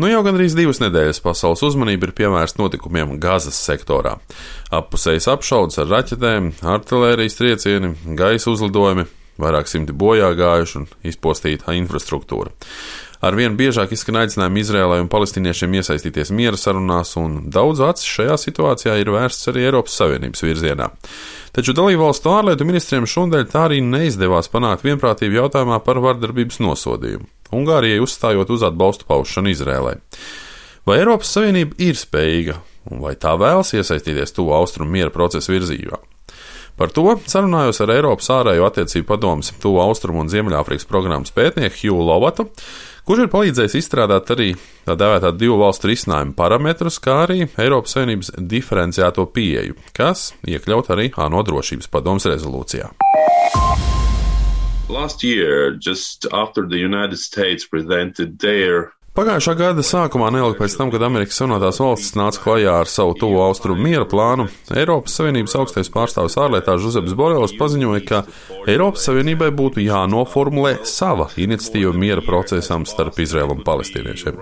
Jau gandrīz 2 nedēļas pasaules uzmanība ir pievērsta notikumiem Gazas sektorā. Appusējas apšaudes ar raķetēm, artilērijas triecieni, gaisa uzlidojumi, vairāk simti bojā gājuši un izpostīta infrastruktūra. Arvien biežāk izskan aicinājumi Izrēlai un palestīniešiem iesaistīties miera sarunās, un daudz acis šajā situācijā ir vērsts arī Eiropas Savienības virzienā. Taču dalībvalstu ārlietu ministriem šodien tā arī neizdevās panākt vienprātību jautājumā par vardarbības nosodījumu, Ungārijai uzstājot uz atbalstu paušanu Izrēlai. Vai Eiropas Savienība ir spējīga, un vai tā vēlas iesaistīties tuvu austrumu miera procesa virzībā? Par to sarunājos ar Eiropas ārējo attiecību padomes tuvu austrumu un Ziemeļāfrikas programmas pētnieku Hugh Lovatu, kurš ir palīdzējis izstrādāt arī tā dēvētā 2 valstu risinājumu parametrus, kā arī Eiropas Savienības diferenciēto pieeju, kas iekļaut arī ANO drošības padomes rezolūcijā. Last year, just after the United States presented their Pagājušā gada sākumā, neilgi pēc tam, kad Amerikas Savienotās valstis nāca klajā ar savu tuvu austrumu miera plānu, Eiropas Savienības augstais pārstāvis ārlietās Žozeps Borels paziņoja, ka Eiropas Savienībai būtu jānoformulē sava iniciatīva miera procesam starp Izraēlu un palestīniešiem.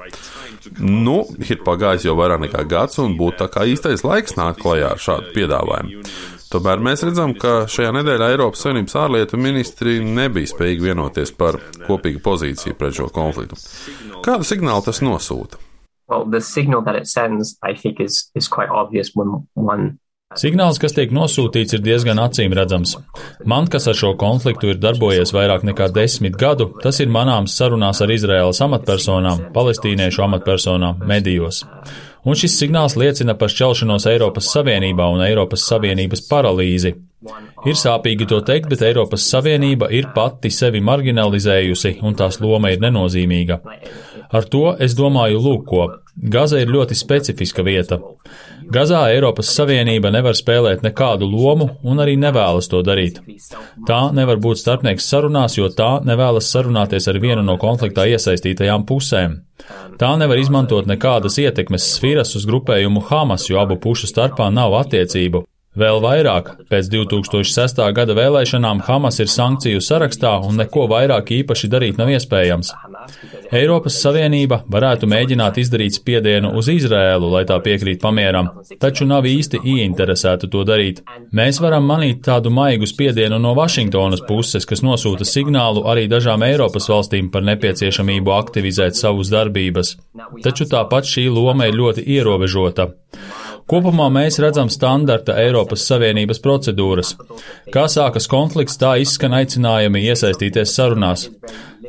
Ir pagājis jau vairāk nekā gads, un būtu tā kā īstais laiks nākt klajā ar šādu piedāvājumu. Tomēr mēs redzam, ka šajā nedēļā Eiropas Savienības ārlietu ministri nebija spējīgi vienoties par kopīgu pozīciju pret šo konfliktu. Kādu signālu tas nosūta? Signāls, kas tiek nosūtīts, ir diezgan acīm redzams. Man, kas ar šo konfliktu ir darbojies vairāk nekā 10 gadu, tas ir manāms sarunās ar Izraēlas amatpersonām, palestīniešu amatpersonām, medijos. Un šis signāls liecina par šķelšanos Eiropas Savienībā un Eiropas Savienības paralīzi. Ir sāpīgi to teikt, bet Eiropas Savienība ir pati sevi marginalizējusi, un tās loma ir nenozīmīga. Ar to es domāju lūk ko. Gaza ir ļoti specifiska vieta. Gazā Eiropas Savienība nevar spēlēt nekādu lomu un arī nevēlas to darīt. Tā nevar būt starpnieks sarunās, jo tā nevēlas sarunāties ar vienu no konfliktā iesaistītajām pusēm. Tā nevar izmantot nekādas ietekmes sfīras uz grupējumu Hamas, jo abu pušu starpā nav attiecību. Vēl vairāk, pēc 2006. gada vēlēšanām Hamas ir sankciju sarakstā un neko vairāk īpaši darīt nav iespējams. Eiropas Savienība varētu mēģināt izdarīt spiedienu uz Izrēlu, lai tā piekrīt pamieram, taču nav īsti ieinteresēta to darīt. Mēs varam manīt tādu maigu spiedienu no Vašingtonas puses, kas nosūta signālu arī dažām Eiropas valstīm par nepieciešamību aktivizēt savus darbības. Taču tāpat šī loma ir ļoti ierobežota. Kopumā mēs redzam standarta Eiropas Savienības procedūras. Kā sākas konflikts, tā izskan aicinājumi iesaistīties sarunās.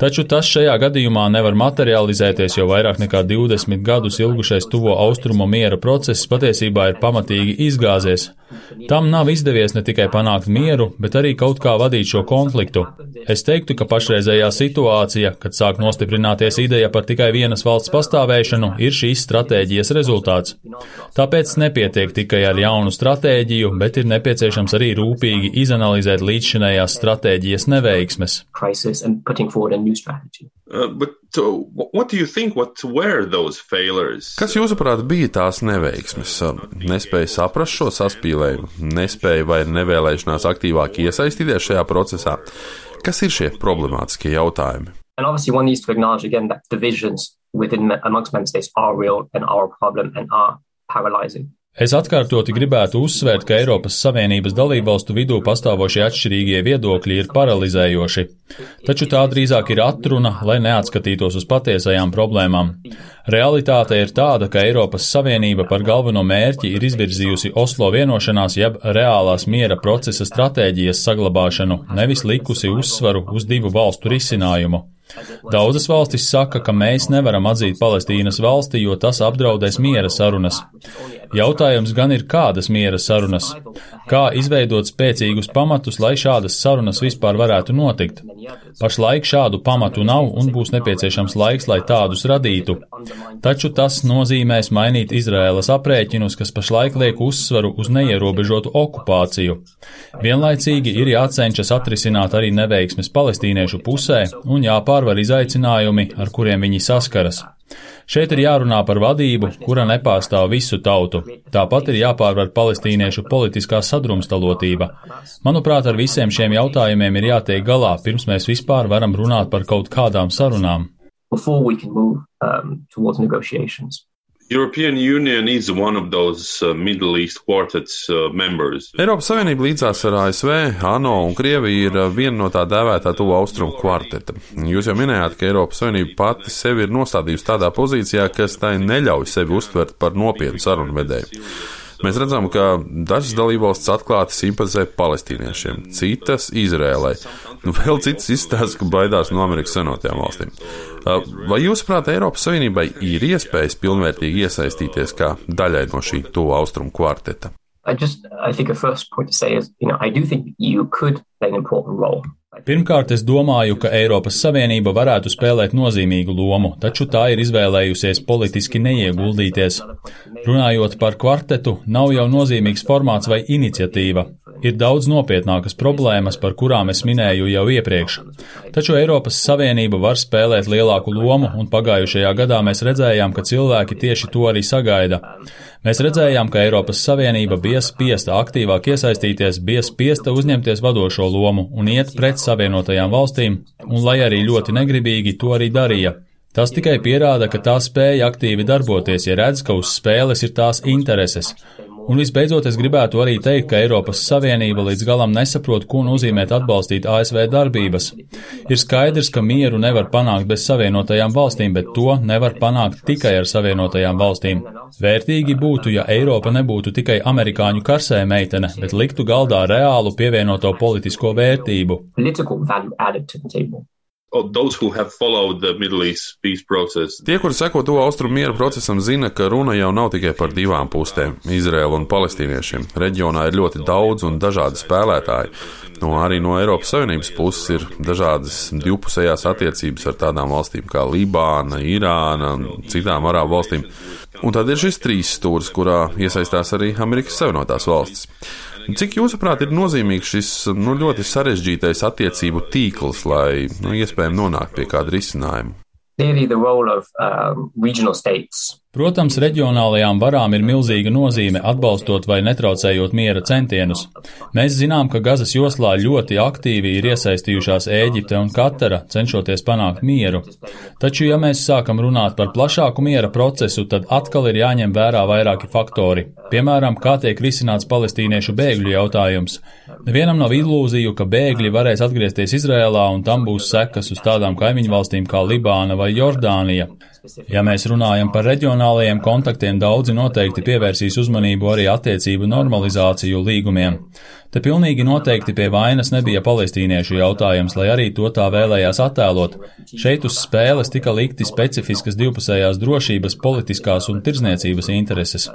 Taču tas šajā gadījumā nevar materializēties, jo vairāk nekā 20 gadus ilgušais tuvo austrumu miera process patiesībā ir pamatīgi izgāzies. Tam nav izdevies ne tikai panākt mieru, bet arī kaut kā vadīt šo konfliktu. Es teiktu, ka pašreizējā situācija, kad sāk nostiprināties ideja par tikai vienas valsts pastāvēšanu, ir šīs stratēģijas rezultāts. Tāpēc nepietiek tikai ar jaunu stratēģiju, bet ir nepieciešams arī rūpīgi izanalizēt līdzšinējās stratēģijas neveiksmes. Kas jūsuprāt bija tās neveiksmes? Nespēja saprast šo saspīlējumu, nespēja vai nevēlēšanās aktīvāk iesaistīties šajā procesā? Kas ir šie problemātiskie jautājumi? Es atkārtoti gribētu uzsvērt, ka Eiropas Savienības dalībvalstu vidū pastāvošie atšķirīgie viedokļi ir paralizējoši, taču tā drīzāk ir atruna, lai neatskatītos uz patiesajām problēmām. Realitāte ir tāda, ka Eiropas Savienība par galveno mērķi ir izvirzījusi Oslo vienošanās jeb reālās miera procesa stratēģijas saglabāšanu, nevis likusi uzsvaru uz 2 valstu risinājumu. Daudzas valstis saka, ka mēs nevaram atzīt Palestīnas valsti, jo tas apdraudēs miera sarunas. Jautājums gan ir, kādas miera sarunas? Kā izveidot spēcīgus pamatus, lai šādas sarunas vispār varētu notikt? Pašlaik šādu pamatu nav un būs nepieciešams laiks, lai tādus radītu. Taču tas nozīmēs mainīt Izraēlas aprēķinus, kas pašlaik liek uzsvaru uz neierobežotu okupāciju. Vienlaicīgi ir jācenšas atrisināt arī neveiksmes palestīniešu pusē un jāpārvar izaicinājumi, ar kuriem viņi saskaras. Šeit ir jārunā par vadību, kura nepārstāv visu tautu. Tāpat ir jāpārvar palestīniešu politiskā sadrumstalotība. Manuprāt, ar visiem šiem jautājumiem ir jātiek galā, pirms mēs vispār varam runāt par kaut kādām sarunām. before we can move towards negotiations. European Union is one of those Middle East Quartet's members. Eiropas Savienība līdzās ar ASV, ANO un Krieviju ir viena no tā dēvētā tuvu austrumu kvarteta. Jūs jau minējāt, ka Eiropas Savienība pati sevi ir nostādījusi tādā pozīcijā, kas tai neļauj sevi uztvert par nopietnu sarunvedēju. Mēs redzam, ka dažas dalībvalstis atklāti simpatizē palestīniešiem, citas Izrēlai. Vēl citas izstāsta, ka baidās no Amerikas Savienotajām valstīm. Vai jūsuprāt, Eiropas Savienībai ir iespējas pilnvērtīgi iesaistīties kā daļai no šī tuvu austrumu kvarteta? I think a first point to say is, I do think you could play an important role. Pirmkārt, es domāju, ka Eiropas Savienība varētu spēlēt nozīmīgu lomu, taču tā ir izvēlējusies politiski neieguldīties. Runājot par kvartetu, nav jau nozīmīgs formāts vai iniciatīva. Ir daudz nopietnākas problēmas, par kurām es minēju jau iepriekš. Taču Eiropas Savienība var spēlēt lielāku lomu, un pagājušajā gadā mēs redzējām, ka cilvēki tieši to arī sagaida. Mēs redzējām, ka Eiropas Savienība bija spiesta aktīvāk iesaistīties, bija spiesta uzņemties vadošo lomu un iet pret Savienotajām valstīm, un lai arī ļoti negribīgi to arī darīja. Tas tikai pierāda, ka tā spēja aktīvi darboties, ja redz, ka uz spēles ir tās intereses. Un visbeidzot, es gribētu arī teikt, ka Eiropas Savienība līdz galam nesaprot, ko nozīmē atbalstīt ASV darbības. Ir skaidrs, ka mieru nevar panākt bez Savienotajām valstīm, bet to nevar panākt tikai ar Savienotajām valstīm. Vērtīgi būtu, ja Eiropa nebūtu tikai amerikāņu karsē meitene, bet liktu galdā reālu pievienoto politisko vērtību. Tie, kuri seko to austrumu miera procesam, zina, ka runa jau nav tikai par divām pustēm - Izraēlu un palestīniešiem. Reģionā ir ļoti daudz un dažādi spēlētāji. Arī no Eiropas Savienības puses ir dažādas divpusējās attiecības ar tādām valstīm kā Libāna, Irāna un citām arābu valstīm. Un tad ir šis trīs stūris, kurā iesaistās arī Amerikas Savienotās valstis. Cik jūsuprāt ir nozīmīgs šis ļoti sarežģītais attiecību tīkls, lai iespējami nonāktu pie kāda risinājuma? Protams, reģionālajām varām ir milzīga nozīme atbalstot vai netraucējot miera centienus. Mēs zinām, ka Gazas joslā ļoti aktīvi ir iesaistījušās Ēģipte un Katara, cenšoties panākt mieru. Taču, ja mēs sākam runāt par plašāku miera procesu, tad atkal ir jāņem vērā vairāki faktori. Piemēram, kā tiek risināts palestīniešu bēgļu jautājums. Nevienam nav ilūziju, ka bēgļi varēs atgriezties Izrēlā un tam būs sekas uz tādām kaimiņu valstīm kā Libāna vai Jordānija. Ja mēs runājam par reģionālajiem kontaktiem, daudzi noteikti pievērsīs uzmanību arī attiecību normalizāciju līgumiem. Te pilnīgi noteikti pie vainas nebija palestīniešu jautājums, lai arī to tā vēlējās attēlot. Šeit uz spēles tika likti specifiskas divpusējās drošības, politiskās un tirdzniecības intereses.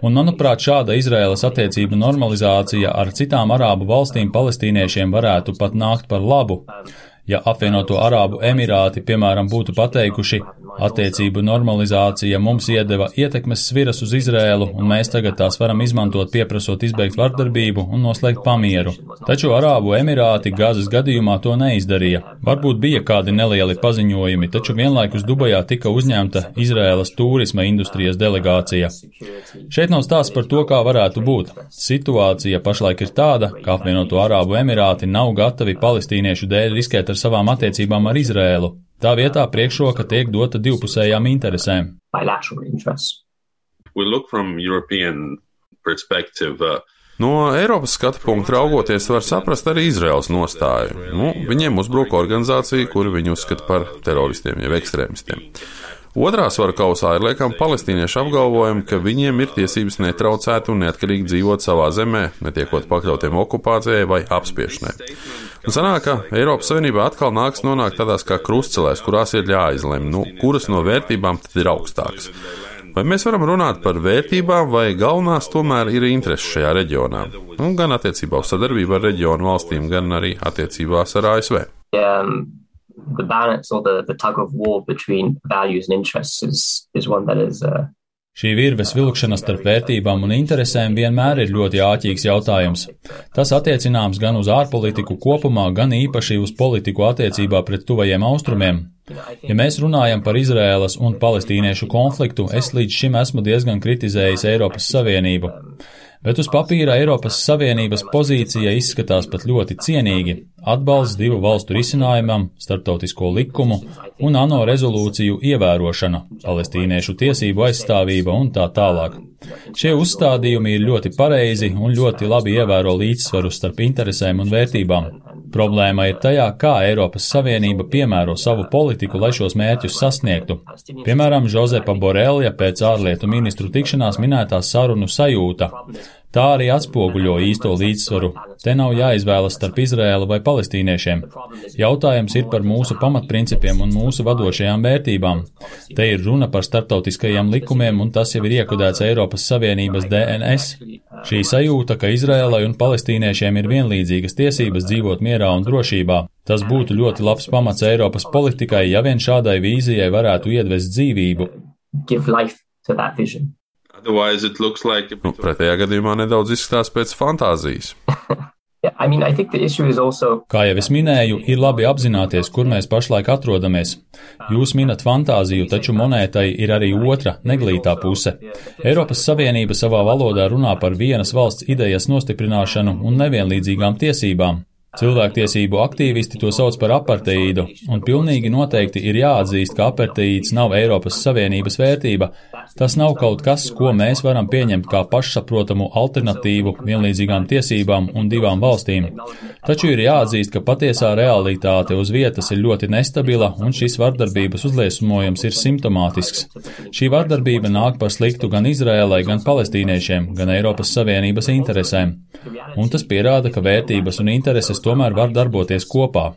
Un, manuprāt, šāda Izraēlas attiecību normalizācija ar citām arābu valstīm palestīniešiem varētu pat nākt par labu. Ja apvienoto Arābu Emirāti, piemēram, būtu pateikuši, attiecību normalizācija mums iedeva ietekmes sviras uz Izrēlu, un mēs tagad tās varam izmantot, pieprasot izbeigt vardarbību un noslēgt pamieru. Taču Arābu Emirāti Gazas gadījumā to neizdarīja. Varbūt bija kādi nelieli paziņojumi, taču vienlaikus Dubajā tika uzņemta Izrēlas turisma industrijas delegācija. Šeit nav stāsts par to, kā varētu būt. Situācija pašlaik ir tāda, ka apvienoto Arābu Emirāti nav gatavi palestīniešu dēļ riskēt ar savām attiecībām ar Izrēlu. Tā vietā priekšroka tiek dota divpusējām interesēm. No Eiropas skatu punkta raugoties var saprast arī Izraēlas nostāju. Viņiem uzbruka organizācija, kuru viņi uzskata par teroristiem, jeb ekstrēmistiem. Otrā svara kausā ir liekam palestīniešu apgalvojumi, ka viņiem ir tiesības netraucēt un neatkarīgi dzīvot savā zemē, netiekot pakļautiem okupācijai vai apspiešanai. Un sanāk, ka Eiropas Savienībā atkal nāks nonākt tādās kā krustcelēs, kurās ir jāizlem, kuras no vērtībām tad ir augstākas. Vai mēs varam runāt par vērtībām, vai galvenās tomēr ir intereses šajā reģionā? Gan attiecībā uz sadarbību ar reģionu valstīm, gan arī attiecībās ar ASV. The balance or the tug of war between values and interests is one that is Šī virves vilkšana starp vērtībām un interesēm vienmēr ir ļoti āķīgs jautājums. Tas attiecināms gan uz ārpolitiku kopumā, gan īpaši uz politiku attiecībā pret tuvajiem austrumiem. Ja mēs runājam par Izraēlas un palestīniešu konfliktu, es līdz šim esmu diezgan kritizējis Eiropas Savienību. Bet uz papīra Eiropas Savienības pozīcija izskatās pat ļoti cienīgi – atbalsts divu valstu risinājumam, starptautisko likumu un ANO rezolūciju ievērošana, palestīniešu tiesību aizstāvība un tā tālāk. Šie uzstādījumi ir ļoti pareizi un ļoti labi ievēro līdzsvaru starp interesēm un vērtībām. Problēma ir tajā, kā Eiropas Savienība piemēro savu politiku, lai šos mērķus sasniegtu. Piemēram, Žozepa Borelja pēc ārlietu ministru tikšanās minētā sarunu sajūta. Tā arī atspoguļo īsto līdzsvaru. Te nav jāizvēlas starp Izraēlu vai palestīniešiem. Jautājums ir par mūsu pamatprincipiem un mūsu vadošajām vērtībām. Te ir runa par starptautiskajiem likumiem, un tas jau ir iekodēts Eiropas Savienības DNS. Šī sajūta, ka Izraēlai un palestīniešiem ir vienlīdzīgas tiesības dzīvot mierā un drošībā. Tas būtu ļoti labs pamats Eiropas politikai, ja vien šādai vīzijai varētu iedvest dzīvību. Pretējā gadījumā nedaudz izskatās pēc fantāzijas. Kā jau es minēju, ir labi apzināties, kur mēs pašlaik atrodamies. Jūs minat fantāziju, taču monētai ir arī otra, neglītā puse. Eiropas Savienība savā valodā runā par vienas valsts idejas nostiprināšanu un nevienlīdzīgām tiesībām. Cilvēktiesību aktīvisti to sauc par aparteīdu, un pilnīgi noteikti ir jāatzīst, ka aparteīds nav Eiropas Savienības vērtība. Tas nav kaut kas, ko mēs varam pieņemt kā pašsaprotamu alternatīvu vienlīdzīgām tiesībām un divām valstīm. Taču ir jāatzīst, ka patiesā realitāte uz vietas ir ļoti nestabila, un šis vardarbības uzliesmojums ir simptomātisks. Šī vardarbība nāk par sliktu gan Izraēlai, gan palestīniešiem, gan Eiropas Savienības interesēm. Un tas pierāda, ka vērtības un intereses tomēr var darboties kopā.